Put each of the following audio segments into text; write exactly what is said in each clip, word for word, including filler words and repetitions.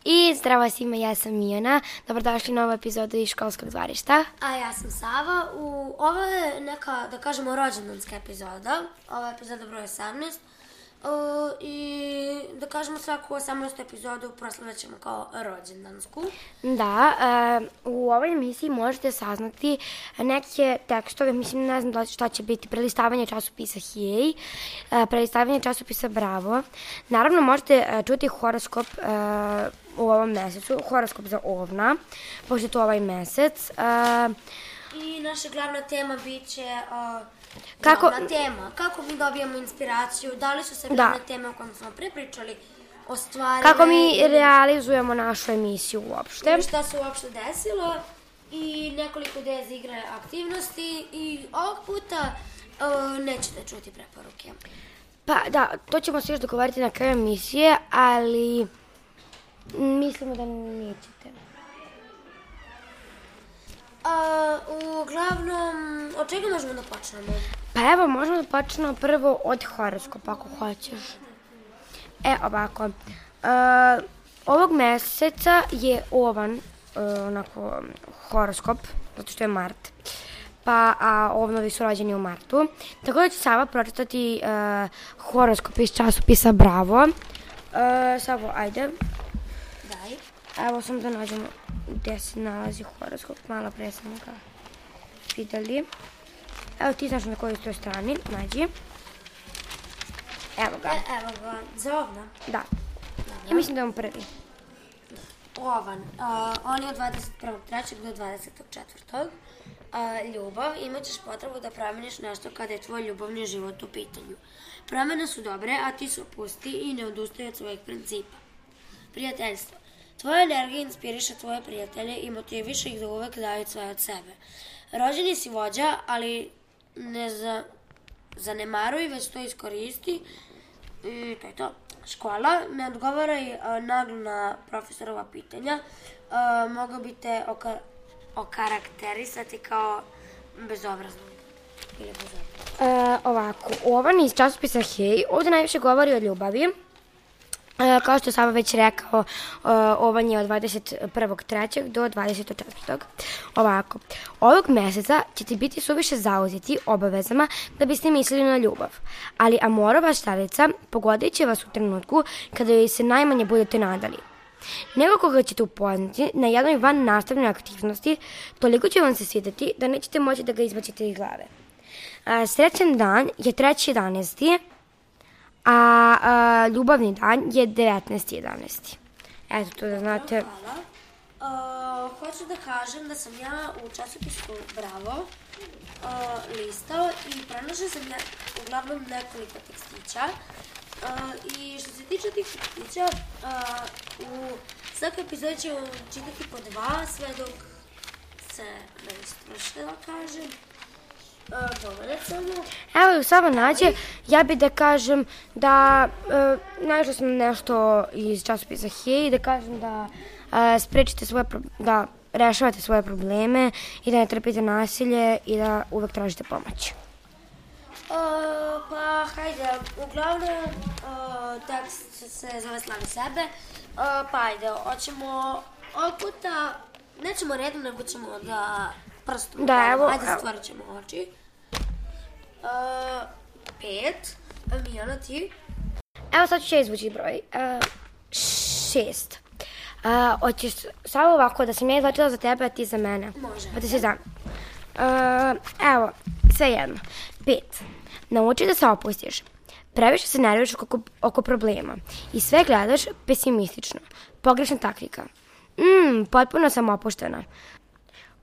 I zdravo svima, ja sam Mijana. Dobrodošli u novu epizodu iz školskog dvorišta. A ja sam Sava. U, ovo je neka, da kažemo, rođendanska epizoda. Ovo je epizoda broj osamnaest. Uh, I da kažemo svaku osamnaestu epizodu proslavljat ćemo kao rođendansku. Da, uh, u ovoj emisiji možete saznati neke tekstove, mislim ne znam da šta će biti, prelistavanje časopisa Hej, uh, prelistavanje časopisa Bravo. Naravno možete uh, čuti horoskop uh, u ovom mesecu, horoskop za Ovna, pošto je to ovaj mesec. Uh, I naša glavna tema bit će... Uh, Kako... Glavna tema, kako mi dobijamo inspiraciju, da li su se glavne da. teme o kojima smo prepričali ostvarile. Kako mi realizujemo našu emisiju uopšte. I šta se uopšte desilo i nekoliko ideja za igre aktivnosti i ovog puta uh, nećete čuti preporuke. Pa da, to ćemo se još dogovoriti na kraju emisije, ali mislimo da nećete. Uh, uglavnom, od čega možemo da počnemo? Pa evo, možemo da počnemo prvo od horoskopa, ako hoćeš. E, ovako. Uh, ovog meseca je Ovan, uh, onako, horoskop, zato što je mart. Pa, a ovnovi su rođeni u martu. Tako da će Sava pročitati uh, horoskop iz časopisa Bravo. Uh, Savo, ajde. Daj. Evo, samo da nađemo gde se nalazi horoskop. Malo pre sam ga videli. Evo, ti znaš na kojoj toj strani, nađi. Evo ga. E, evo ga, za Ovna? Da. Ja mislim da je on prvi. Ovan, uh, on je od dvadeset prvog trećeg do dvadesetog četvrtog Uh, ljubav, imat ćeš potrebu da promeniš nešto kada je tvoj ljubavni život u pitanju. Promene su dobre, a ti se opusti i ne odustaj od svojih principa. Prijateljstvo. Tvoja energija inspiriše tvoje prijatelje i motiviše ih da uvek daju sve od sebe. Rođeni si vođa, ali ne za, zanemaruj, već to iskoristi. I to je to. Škola, ne odgovaraj uh, naglo na profesorova pitanja. Uh, mogao bi te oka, okarakterisati kao bezobrazno. Ili bezobrazno. Uh, ovako, Ovan iz časopisa Hej, ovdje najviše govori o ljubavi. Uh, kao što je Sava već rekao, uh, Ovan je od dvadeset prvog trećeg do dvadesetog četvrtog Ovako, ovog meseca ćete biti suviše zauzeti obavezama da biste mislili na ljubav, ali amorova štalica pogodit će vas u trenutku kada joj se najmanje budete nadali. Nego koga ćete upoznati na jednoj van nastavnoj aktivnosti, toliko će vam se svideti da nećete moći da ga izbacite iz glave. Uh, srećan dan je treći jedanaesti A, a ljubavni dan je devetnaesti jedanaesti Eto, to da znate. Hvala. Uh, hoću da kažem da sam ja u časopisu Bravo uh, listao i pronašla sam ja uglavnom nekoliko tekstića. Uh, I što se tiče tih tekstića, uh, u svakoj epizodi ćemo čitati po dva, sve dok se ne istroše, da kažem. Evo, Sava nađe, ja bi da kažem da uh, našla sam nešto iz časopisa Hej, da kažem da uh, sprečite svoje, da rešavate svoje probleme i da ne trpite nasilje i da uvek tražite pomoć. Uh, pa, hajde, uglavnom uh, tekst se zove Slavi sebe, uh, pa ajde, hoćemo ovog puta, nećemo redom, nego ćemo da prstom, da, evo, ajde stvorit ćemo oči. Uh, pet, a Mijana ti? Evo sad ću ja izvući broj. Uh, šest. Uh, hoćeš samo ovako da sam ja izvačila za tebe, a ti za mene. Može. Pa ti se znam. Uh, evo, sve jedno. Pet. Nauči da se opustiš. Previše se nerviš oko, oko problema i sve gledaš pesimistično. Pogrešna taktika. Mm, potpuno sam opuštena.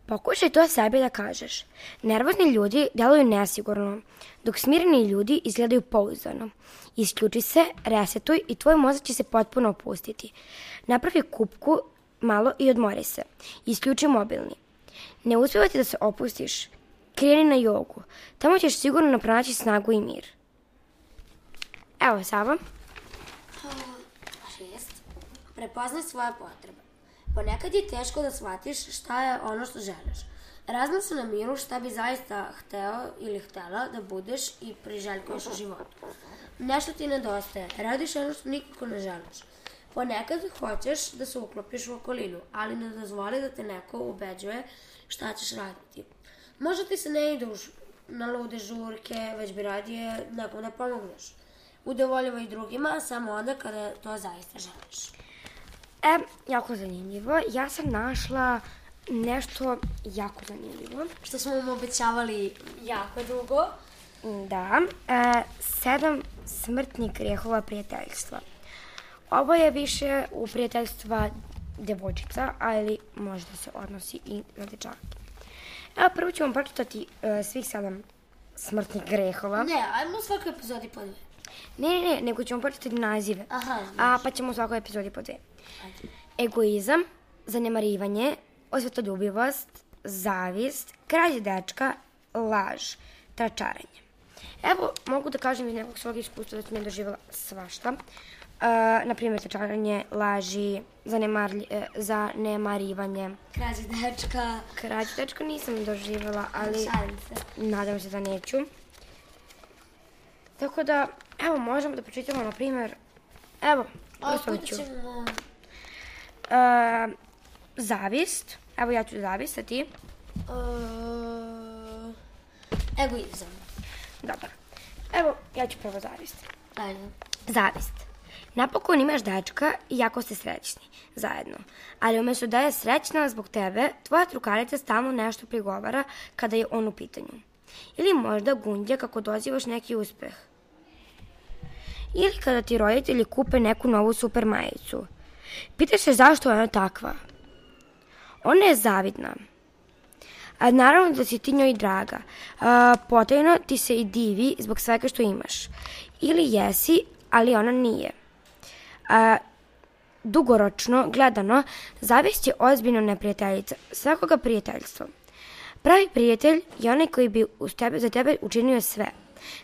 Pokušaj to sebi da kažeš. Nervozni ljudi deluju nesigurno, dok smireni ljudi izgledaju pouzdano. Isključi se, resetuj i tvoj mozak će se potpuno opustiti. Napravi kupku malo i odmori se. Isključi mobilni. Ne uspeva ti da se opustiš, kreni na jogu. Tamo ćeš sigurno pronaći snagu i mir. Evo, Sava. Šest. Prepoznaj svoje potrebe. Ponekad je teško da shvatiš šta je ono što želiš. Razmisli na miru šta bi zaista hteo ili htela da budeš i priželjkuješ u životu. Nešto ti nedostaje, radiš ono što nikako ne želiš. Ponekad hoćeš da se uklopiš u okolinu, ali ne dozvoli da te neko ubeđuje šta ćeš raditi. Možda ti se ne ide na lude žurke, već bi radije nekom da pomogneš. Udovoljivaj drugima samo onda kada to zaista želiš. E, jako zanimljivo. Ja sam našla nešto jako zanimljivo. Što smo vam obećavali jako dugo. Da, e, sedam smrtnih grehova prijateljstva. Ovo je više u prijateljstva devojčica, ali možda se odnosi i na dečake. Evo, prvo ću vam pročitati e, svih sedam smrtnih grehova. Ne, ajmo u svakoj epizodi po dve. Ne, ne, ne, nego ćemo pročitati nazive. Aha, a pa ćemo u svakoj epizodi po dve. Ajde. Egoizam, zanemarivanje, osvetoljubivost, zavist, krađe dečka, laž, tračaranje. Evo, mogu da kažem iz nekog svog iskustva da sam ja doživjela svašta. Uh, naprimjer, tračaranje, laži, zanemarivanje. Krađe dečka. Krađe dečka nisam doživjela, ali Šalim se. nadam se da neću. Tako da, evo, možemo da pročitamo, na primjer, evo, Ovo ću. Uh, zavist, evo ja ću zavist, a ti? Uh, egoizam. Dobro. Evo, ja ću prvo zavist. Ajde. Zavist. Napokon imaš dečka i jako ste srećni, zajedno. Ali umjesto da je srećna zbog tebe, tvoja drugarica stalno nešto prigovara kada je on u pitanju. Ili možda gunđa kako dozivaš neki uspeh. Ili kada ti roditelji kupe neku novu super majicu. Pitaš se zašto je ona takva. Ona je zavidna. A naravno da si ti njoj draga. A, potajno ti se i divi zbog svega što imaš. Ili jesi, ali ona nije. A, dugoročno, gledano, zavist je ozbiljno neprijateljica svakoga prijateljstva. Pravi prijatelj je onaj koji bi uz tebe, za tebe učinio sve,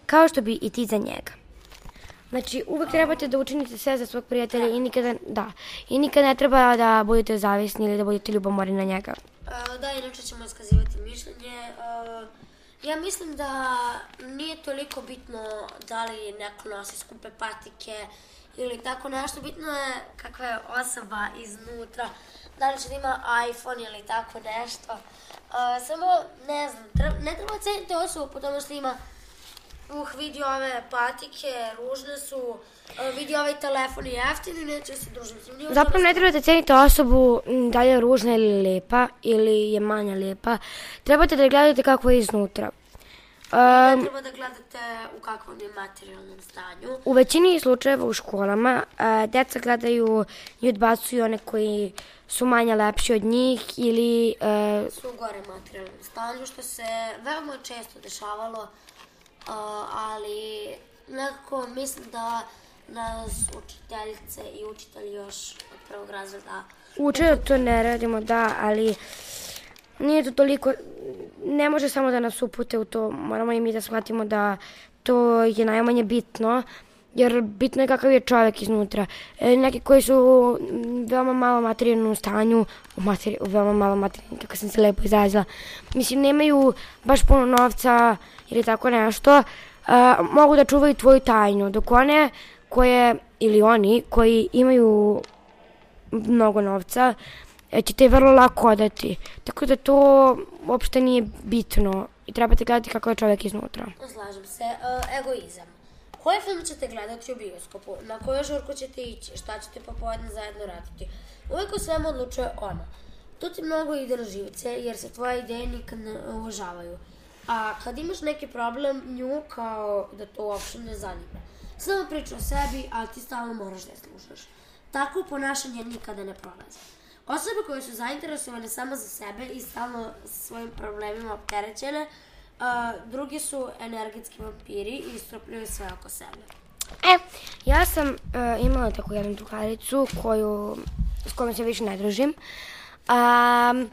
kao što bi i ti za njega. Znači, uvek trebate da učinite sve za svog prijatelja i nikada, da, i nikada ne treba da budete zavisni ili da budete ljubomorni na njega. Uh, da, inače ćemo iskazivati mišljenje. Uh, ja mislim da nije toliko bitno da li neko nosi skupe patike ili tako nešto. Bitno je kakva je osoba iznutra, da li će da ima iPhone ili tako nešto. Uh, samo, ne znam, treba, ne treba ceniti osobu po tome što ima uh, vidi ove patike, ružne su, uh, vidi ovaj telefon je jeftin i neće se družiti s njim. Zapravo ne trebate ceniti osobu da li je ružna ili lepa ili je manja lepa. Trebate da gledate kako je iznutra. Um, ne treba da gledate u kakvom je materijalnom stanju. U većini slučajeva u školama uh, deca gledaju i odbacuju one koji su manje lepši od njih ili uh, su u gore materijalnom stanju, što se veoma često dešavalo, uh, ali nekako mislim da nas učiteljice i učitelji još od prvog razreda uče da to ne radimo, da, ali nije to toliko, ne može samo da nas upute u to, moramo i mi da shvatimo da to je najmanje bitno, jer bitno je kakav je čovjek iznutra. E, neki koji su u veoma malo materijalnom stanju, u, materi, u veoma malo materijalnom, kako sam se lepo izrazila, mislim, nemaju baš puno novca ili tako nešto, a, mogu da čuvaju tvoju tajnu, dok one koje, ili oni koji imaju mnogo novca, će te vrlo lako odati. Tako da to uopšte nije bitno i trebate gledati kako je čovjek iznutra. Slažem se. Uh, egoizam. Koji film ćete gledati u bioskopu? Na koju žurku ćete ići? Šta ćete popodne zajedno raditi? Uvijek o svemu odlučuje ona. To ti mnogo ide na živce jer se tvoje ideje nikad ne uvažavaju. A kad imaš neki problem, nju kao da to uopšte ne zanima. Samo priča o sebi, a ti stalno moraš da je slušaš. Tako ponašanje nikada ne prolazi. Osobe koje su zainteresovane samo za sebe i stalno svojim problemima opterećene, uh, drugi su energetski vampiri i istrpljuju sve oko sebe. E, ja sam uh, imala tako jednu drugaricu koju, s kojom se više ne družim. Um, uh,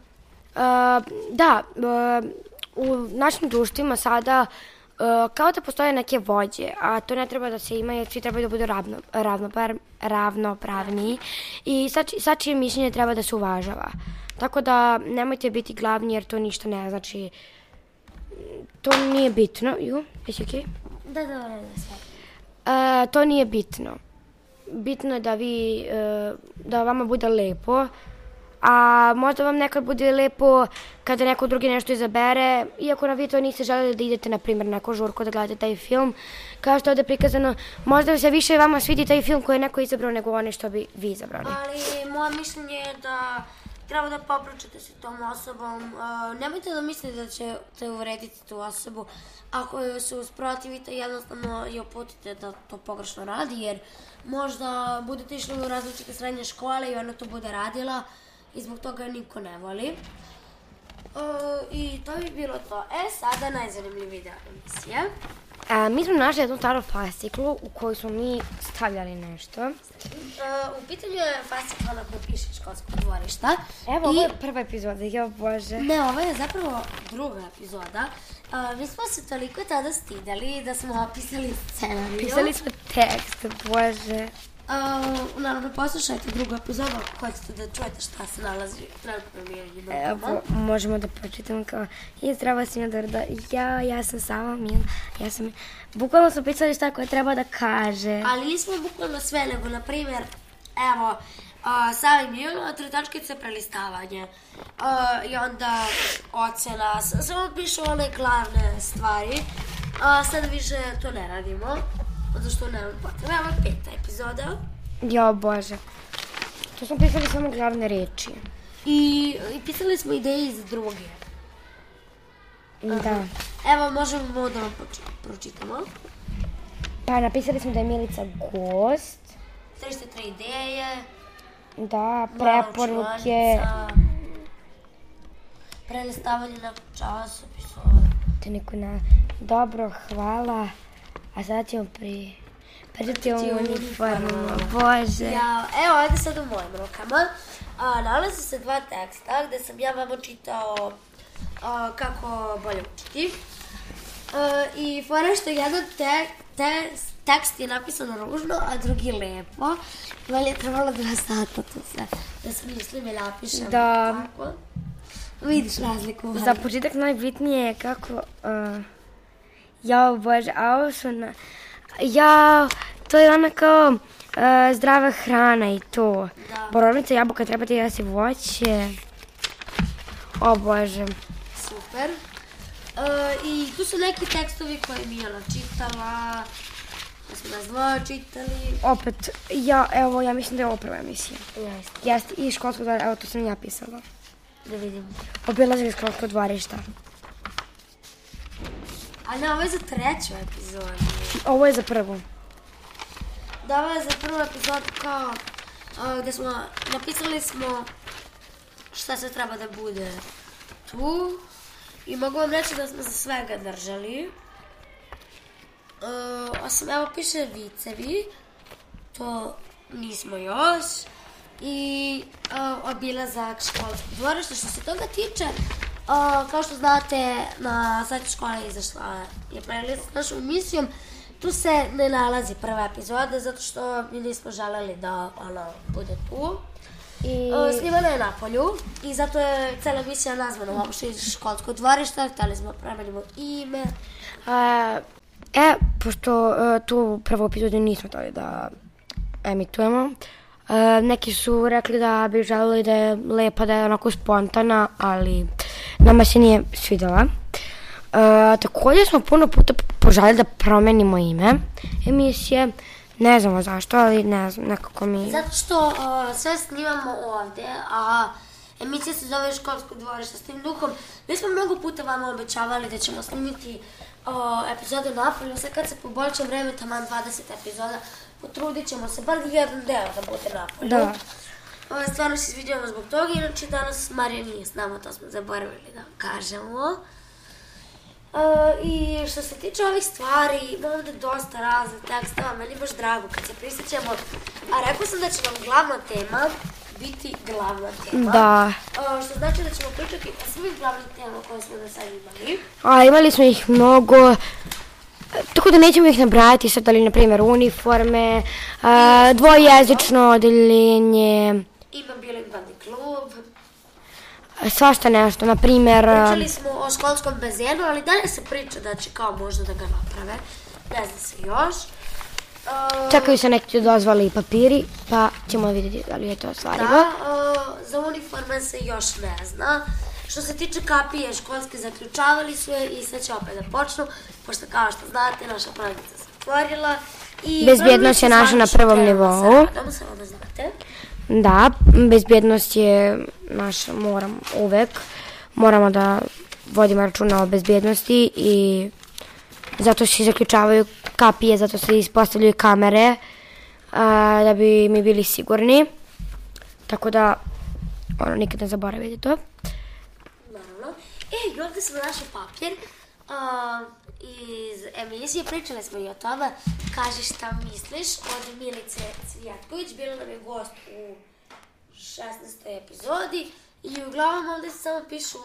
da, uh, u našim društvima sada Uh, kao da postoje neke vođe, a to ne treba da se ima jer svi trebaju da budu ravno, ravnopar, ravnopravni i svačije mišljenje treba da se uvažava. Tako da nemojte biti glavni jer to ništa ne znači. To nije bitno. Ju, jesi okej? Da, da, da, sve. Uh, to nije bitno. bitno je da vi, uh, da vama bude lepo, a možda vam nekad bude lepo kada neko drugi nešto izabere, iako na vi to niste želeli da idete, na primjer, na neku žurku da gledate taj film, kao što je ovde prikazano, možda se više vama svidi taj film koji je neko izabrao nego one što bi vi izabrali. Ali moje mišljenje je da treba da popričate sa tom osobom. Uh, nemojte da mislite da ćete uvrediti tu osobu. Ako joj se usprotivite, jednostavno je uputite da to pogrešno radi, jer možda budete išli u različite srednje škole i ona to bude radila i zbog toga niko ne voli. Uh, I to bi bilo to. E, sada najzanimljiviji deo emisije. A, mi smo našli jednu staru fasciklu u kojoj smo mi stavljali nešto. Uh, u pitanju je fascikla na kojoj piše školsko dvorišta. Evo, I... ovo je prva epizoda, jo bože. Ne, ovo je zapravo druga epizoda. Uh, mi smo se toliko tada stidali da smo opisali scenariju. Pisali smo tekst, bože. Uh, naravno, poslušajte drugu epizodu ako hoćete da čujete šta se nalazi trenutno u mirenju. Evo, možemo da pročitamo kao i zdravo svima, dobro da ja, ja sam sama Mila, ja sam... Bukvalno smo pisali šta koje treba da kaže. Ali nismo bukvalno sve, nego, na primjer, evo, uh, Sava i Mila, tri tačkice, prelistavanje. Uh, I onda ocena, samo pišu one glavne stvari. Uh, sada više to ne radimo. Zato što nemam potrebe. Evo peta epizoda. Jo, bože. To smo pisali samo glavne reči. I, i pisali smo ideje iz druge. Da. Evo, možemo da vam pročitamo. Pa, napisali smo da je Milica gost. tristo tri ideje. Da, preporuke. Prelistavanje na časopisu. Te neko na... Dobro, hvala. A sada ćemo pri... Pričati o uniformama, bože. Ja, evo, ajde sad u mojim rukama. A, nalazi se dva teksta gde sam ja vama čitao a, kako bolje učiti. A, I fora što jedan te, te, tekst je napisan ružno, a drugi lepo. Meni je trebalo dva sata to sve da smislim i napišem. Da. Tako. Vidiš razliku. Za početak najbitnije je kako... Uh, jao, bože, a ovo su na... Jao, to je ona kao uh, zdrava hrana i to. Da. Borovnica, jabuka, treba ti jesti voće. O, bože. Super. Uh, I tu su neki tekstovi koje mi je ona čitala. Da smo nas dvoje čitali. Opet, ja, evo, ja mislim da je ovo prva emisija. Jeste. Jeste, i školsko dvorište, evo, to sam ja pisala. Da vidim. Obilazili školsko dvorišta. A ne, ovo je za treću epizodu. Ovo je za prvu. Da, ovo je za prvu epizodu kao uh, gde smo, napisali smo šta se treba da bude tu. I mogu vam reći da smo se svega držali. Uh, osim, evo piše vicevi. To nismo još. I uh, obilazak školskog dvorišta. Što se toga tiče, uh, kao što znate, na sajtu škola je izašla je playlist s našom emisijom. Tu se ne nalazi prva epizoda, zato što mi nismo želeli da ona bude tu. I... Uh, snimana je na polju i zato je cela emisija nazvana uopšte iz školskog dvorišta. Htjeli smo promenimo ime. Uh, e, pošto uh, tu prvu epizodu nismo htjeli da emitujemo, uh, neki su rekli da bi želeli da je lepa, da je onako spontana, ali nama se nije svidjela. Uh, također smo puno puta poželjeli da promenimo ime emisije. Ne znamo zašto, ali ne znam, nekako mi... Zato što uh, sve snimamo ovde, a emisija se zove Školsko dvorište s tim duhom. Mi smo mnogo puta vama obećavali da ćemo snimiti uh, epizode napolju. Sad kad se poboljša vreme, taman dvadeset epizoda, potrudit ćemo se, bar jedan deo da bude napolju. Da. Uh, stvarno se izvidjamo zbog toga, inače danas Marija nije s nama, to smo zaboravili da kažemo. Uh, I što se tiče ovih stvari, ima ovdje dosta raznih tekstova, meni je baš drago kad se prisjećamo. A rekao sam da će nam glavna tema biti glavna tema. Da. Uh, što znači da ćemo pričati o svih glavnih tema koje smo do sada imali. A imali smo ih mnogo, tako da nećemo ih nabrajati sad, ali na primjer uniforme, uh, dvojezično odeljenje. Ima bilingvalni klub. Svašta nešto, na primjer... Pričali smo o školskom bazenu, ali dalje se priča da će kao možda da ga naprave. Ne zna se još. Uh, Čekaju se neki dozvoli i papiri, pa ćemo vidjeti da li je to ostvarivo. Da, uh, za uniforme se još ne zna. Što se tiče kapije školske, zaključavali su je i sad će opet da počnu, pošto kao što znate, naša prodavnica se otvorila. I bezbjednost je naša na prvom nivou. Radom, samo da znate. Da, bezbjednost je naša, moram uvek, moramo da vodimo računa o bezbjednosti i zato se zaključavaju kapije, zato se ispostavljaju kamere a, da bi mi bili sigurni. Tako da, ono, nikad ne zaboravite to. Naravno. E, i ovdje smo našli papir uh, iz emisije, pričali smo i o tome. Kaži šta misliš od Milice Cvijatković, bila nam je gost u šesnaestoj epizodi i uglavnom ovdje se samo pišu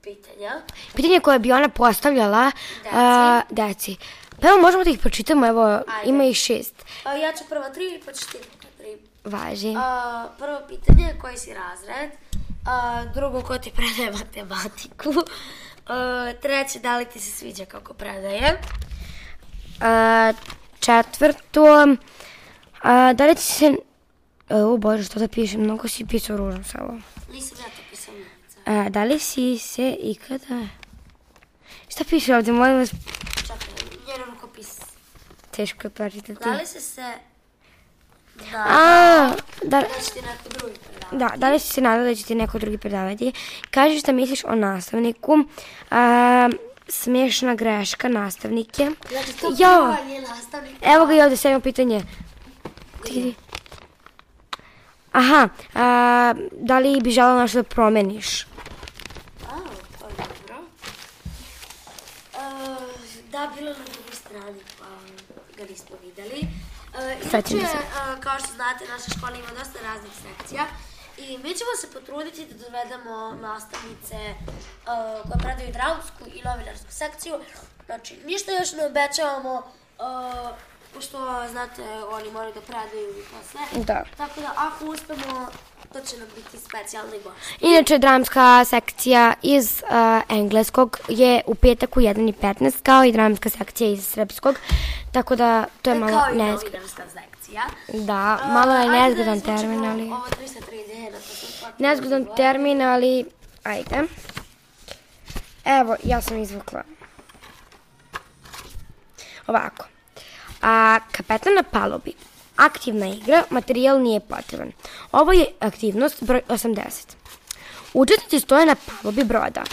pitanja. Pitanje koje bi ona postavljala deci. A, deci. Pa evo, možemo da ih pročitamo, evo, ajde. Ima ih šest. A, ja ću prvo tri, pa ćeš ti tri. Važi. A, prvo pitanje, koji si razred? A, drugo, ko ti predaje matematiku? A, treće, da li ti se sviđa kako predaje? A, četvrto, a, da li ti se... O Bože, što da pišem, mnogo si pisao ružno samo. Nisam ja to pisao. A, da li si se ikada... Šta piše ovdje, molim vas? Čekaj, njeno rukopis. Teško je pročitati. Da li si se... Da, A, da, da će ti neko drugi predavati. Da, da li si se nadala da će ti neko drugi predavati? Kaži šta misliš o nastavniku. A, smiješna greška nastavnike. Znači, to jo, je nastavnik. Evo ga i ovdje, sedmo pitanje. Ti, aha, a, da li bi želela nešto da promeniš? A, to je dobro. Uh, da, bilo na drugoj strani, pa ga nismo videli. Uh, inače, uh, kao što znate, naša škola ima dosta raznih sekcija i mi ćemo se potruditi da dovedemo nastavnice uh, koje predaju dramsku i novinarsku sekciju. Znači, ništa još ne obećavamo, uh, pošto, znate, oni moraju da predaju i to sve. Da. Tako da, ako uspemo, to će nam biti specijalni gost. Inače, dramska sekcija iz uh, engleskog je u petak u jedan i petnaest, kao i dramska sekcija iz srpskog, tako da to je e, malo nezgodno. Kao i novinarska sekcija. Da, malo je uh, nezgodan termin, ali... Ovo tristo trideset. Nezgodan termin, ali... Ajde. Evo, ja sam izvukla. Ovako. A, kapetan na palubi. Aktivna igra, materijal nije potreban. Ovo je aktivnost broj osamdeset. Učesnici stoje na palubi broda.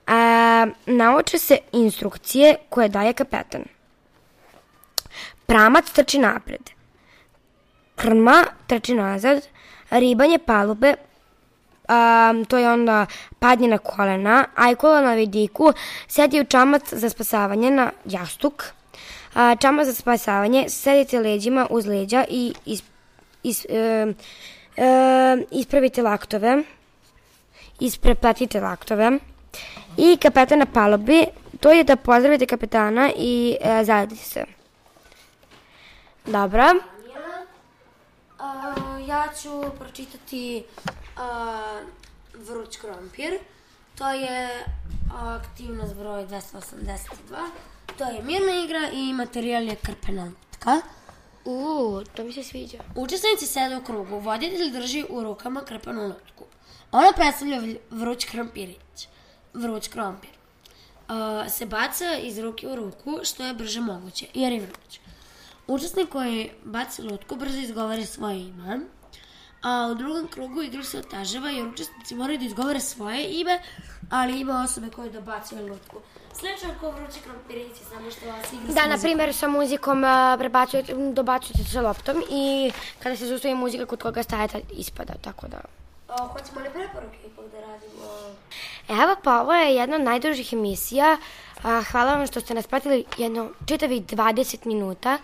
A, nauče se instrukcije koje daje kapetan. Pramac trči napred. Krma trči nazad. Ribanje palube, a, to je onda padnje na kolena. Ajkula na vidiku sedi u čamac za spasavanje na jastuk. A, čamac za spasavanje, sedite leđima uz leđa i is, is, e, e, ispravite laktove. Ispreplatite laktove. I kapetan na palubi, to je da pozdravite kapetana i e, zajedite se. Dobro. Uh, ja ću pročitati uh, vruć krompir. To je aktivnost broj dvesta osamdeset dva. To je mirna igra i materijal je krpena lutka. Uuu, to mi se sviđa. Učesnici sede u krugu. Voditelj drži u rukama krpenu lutku. Ona predstavlja vruć krompirić. Vruć krompir. Uh, se baca iz ruke u ruku što je brže moguće, jer je vruć. Učesnik koji baci lutku brzo izgovori svoje ime, a u drugom krugu igra se otežava jer učesnici moraju da izgovore svoje ime, ali ima osobe koje dobacuju lutku. Slično kao vrući krompirići, samo što vas igra Da, na primjer, sa muzikom uh, prebacujete, dobacujete sa loptom i kada se zaustavi muzika kod koga stajete ispada, tako da... O, hoćemo li preporuke ipak da radimo? Evo pa, ovo je jedna od najdužih emisija. A, hvala vam što ste nas pratili jedno čitavih dvadeset minuta.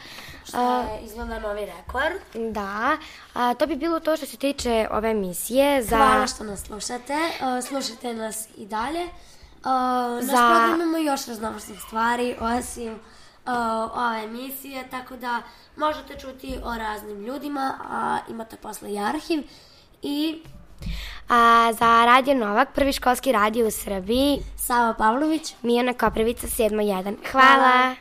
Što je izgleda novi rekord. Da, a, to bi bilo to što se tiče ove emisije. Za... Hvala što nas slušate, uh, slušajte nas i dalje. Uh, naš Za... program ima još raznovrsnih stvari, osim uh, ove emisije, tako da možete čuti o raznim ljudima, a imate posle i arhiv. I... A, za Radio Novak, prvi školski radio u Srbiji, Sava Pavlović, Mijana Koprivica, sedam jedan. Hvala! Hvala.